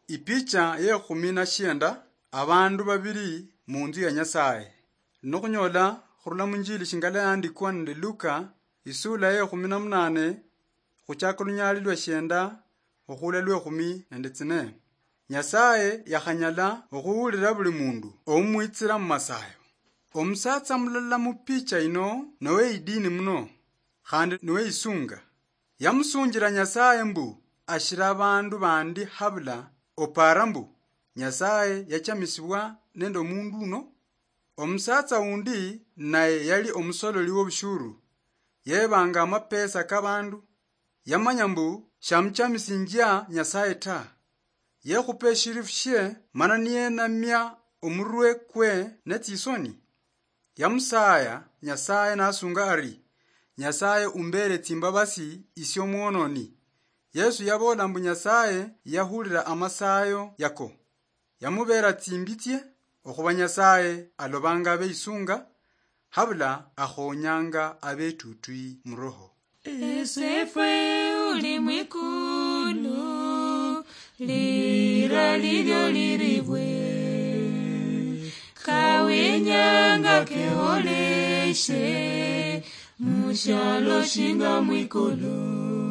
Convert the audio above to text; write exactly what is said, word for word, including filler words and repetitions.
Ipicha yekhumi na shienda, abandu babili munzu ya Nyasaye. Nokhunyola khurula munjili shingala yandikwa nende Luka, isula yekhumi na munane, khuchaka lunyali lwa shienda okhula lwekhumi nende tsine. Nyasaye yakhanyala okhuhulira buli mundu omumwitsira mumasayo. Omusatsa mulala mupicha ino nowe idini muno, khandi nowe isunga. Yamusunjira Nyasaye mbu ashira abandu bandi habula opara mbu Nyasaye yachamisibwa nende omundu uno. Omusatsa undi naye yali omusololi wobushuru, yebanga amapesa kabandu. Yamanya mbu shamuchamisinjia Nyasaye ta. Yekhupa eshirifu shie mana niyenamia omurwe kwe netsisoni. Yamusaya Nyasaye nasunga ari, "Nyasaye umbere tsimbabasi isie omwononi." Yesu yabola mbu Nyasaye yahulira amasayo yako. Yamubera tsimbitsie, okhuba Nyasaye alobanga abeisunga, habula akhonyanga abetutwi muroho. Esefwe uli mwikulu, lira lilyo liribwe, kawenyanga keholeshe, mushalo shinga mwikulu.